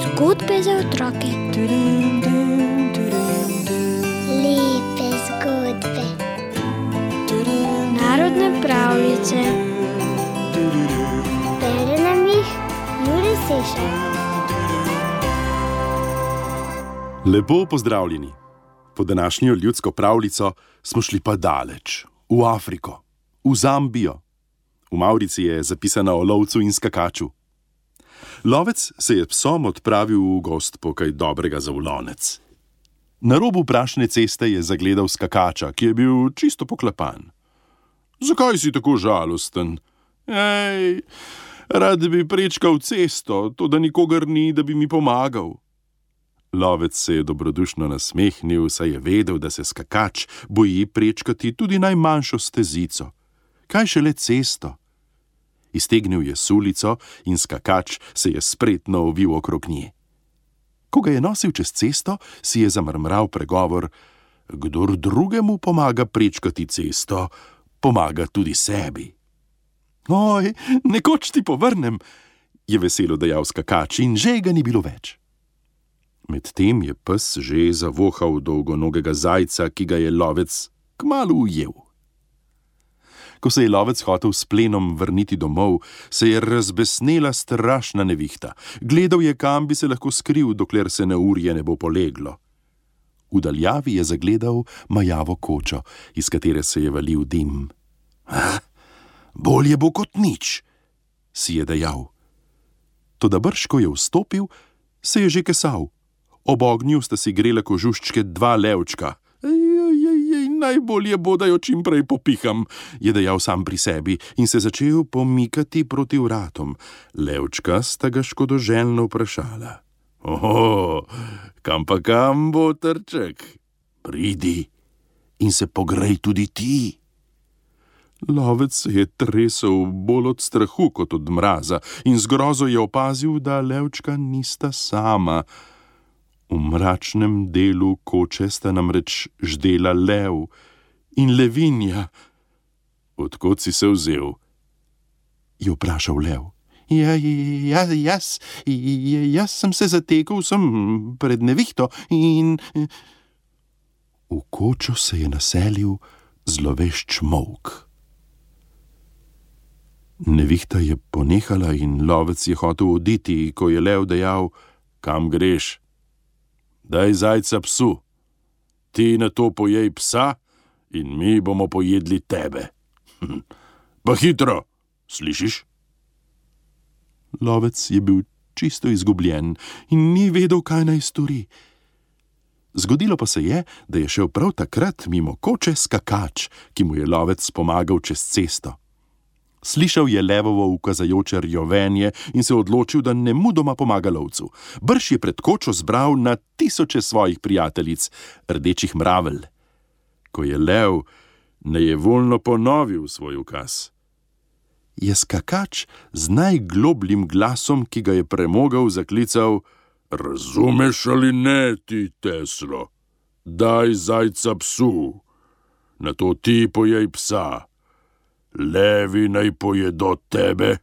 Zgodbe za otroke. Lepe zgodbe. Narodne pravljice. Bere nam jih Jure Sešar. Lepo pozdravljeni. Po današnjo ljudsko pravljico smo šli pa daleč, v Afriko, v Zambijo. V Mavrici je zapisana o lovcu in skakaču. Lovec se je psom odpravil v gozd po kaj dobrega za v lonec. Na robu prašne ceste je zagledal skakača, ki je bil čisto poklepan. Zakaj si tako žalosten? Ej, rad bi prečkal cesto, toda nikogar ni, da bi mi pomagal. Lovec se je dobrodušno nasmehnil, saj je vedel, da se skakač boji prečkati tudi najmanjšo stezico. Kaj šele cesto? Iztegnil je sulico in skakač se je spretno ovil okrog nje. Ko ga je nosil čez cesto, si je zamrmral pregovor: kdor drugemu pomaga prečkati cesto, pomaga tudi sebi. Oj, nekoč ti povrnem, je veselo dejal skakač in že ga ni bilo več. Medtem je pes že zavohal dolgonogega zajca, ki ga je lovec kmalu ujel. Ko se je lovec hotel s plenom vrniti domov, se je razbesnela strašna nevihta. Gledal je, kam bi se lahko skril, dokler se neurje ne bo poleglo. V daljavi je zagledal majavo kočo, iz katere se je valil dim. Bolje bo kot nič, si je dejal. Toda brž, ko je vstopil, se je že kesal. Ob ognju sta si grela kožuščke dva levčka. Najbolje bo, da jo čim prej popiham, je dejal sam pri sebi in se začel pomikati proti vratom. Levčka sta ga škodoželjno vprašala: Oho, kam pa kam, botrček? Pridi in se pogrej tudi ti. Lovec se je tresel bolj od strahu kot od mraza in z grozo je opazil, da levčka nista sama. V mračnem delu koče sta namreč ždela lev in levinja. Od kod si se vzel? Je vprašal lev. Jaz sem se zatekel sem pred nevihto in... V kočo se je naselil zlovešč molk. Nevihta je ponehala in lovec je hotel oditi, ko je lev dejal: kam greš? Daj zajca psu, ti na to pojej psa in mi bomo pojedli tebe. Pa hitro, slišiš? Lovec je bil čisto izgubljen in ni vedel, kaj naj stori. Zgodilo pa se je, da je šel prav takrat mimo koče skakač, ki mu je lovec pomagal čez cesto. Slišal je levovo ukazajoče rjovenje in se odločil, da nemudoma pomaga lovcu. Brž je pred kočo zbral na tisoče svojih prijateljic, rdečih mravelj. Ko je lev nejevoljno ponovil svoj ukaz, je skakač z najglobljim glasom, ki ga je premogel, zaklical: razumeš ali ne, ti Teslo? Daj zajca psu, nato ti pojej psa. Levi naj pojedo tebe,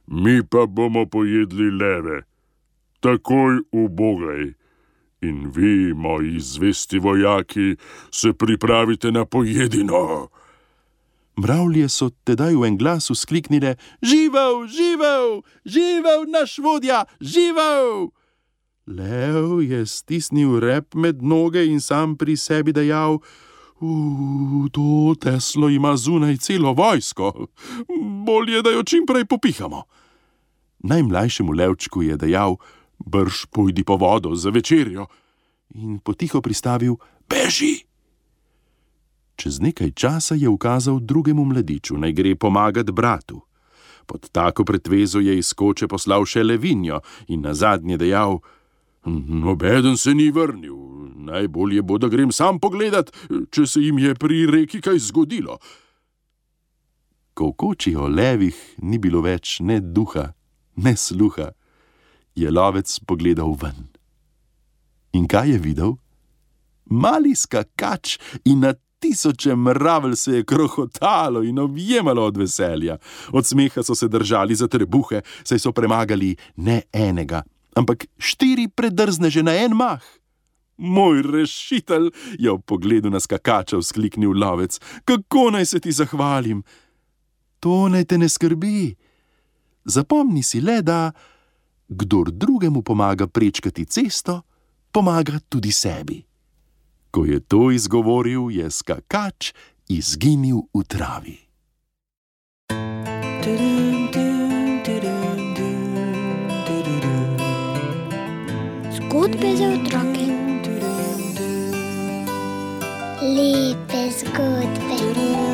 mi pa bomo pojedli leve. Takoj ubogaj. In vi, moji zvesti vojaki, se pripravite na pojedino. Mravlje so tedaj v en glas vzkliknile: živel, živel, živel naš vodja, živel! Lev je stisnil rep med noge in sam pri sebi dejal: to Teslo ima zunaj celo vojsko. Bolje, da jo čim prej popihamo. Najmlajšemu levčku je dejal: brž pojdi po vodo za večerjo. In potiho pristavil: beži. Čez nekaj časa je ukazal drugemu mladiču, naj gre pomagat bratu. Pod tako pretvezo je iz koče poslal še levinjo in nazadnje dejal: nobeden se ni vrnil. Najbolje bo, da grem sam pogledat, če se jim je pri reki kaj zgodilo. Ko v koči o levih ni bilo več ne duha, ne sluha, je lovec pogledal ven. In kaj je videl? Mali skakač in na tisoče mravelj se je krohotalo in objemalo od veselja. Od smeha so se držali za trebuhe, saj so premagali ne enega, ampak 4 predrzneže na en mah. Moj rešitelj, je ob pogledu na skakača vzkliknil lovec, kako naj se ti zahvalim? To naj te ne skrbi. Zapomni si le, da kdor drugemu pomaga prečkati cesto, pomaga tudi sebi. Ko je to izgovoril, je skakač izginil v travi. Zgodbe za otroke. Lepe zgodbe.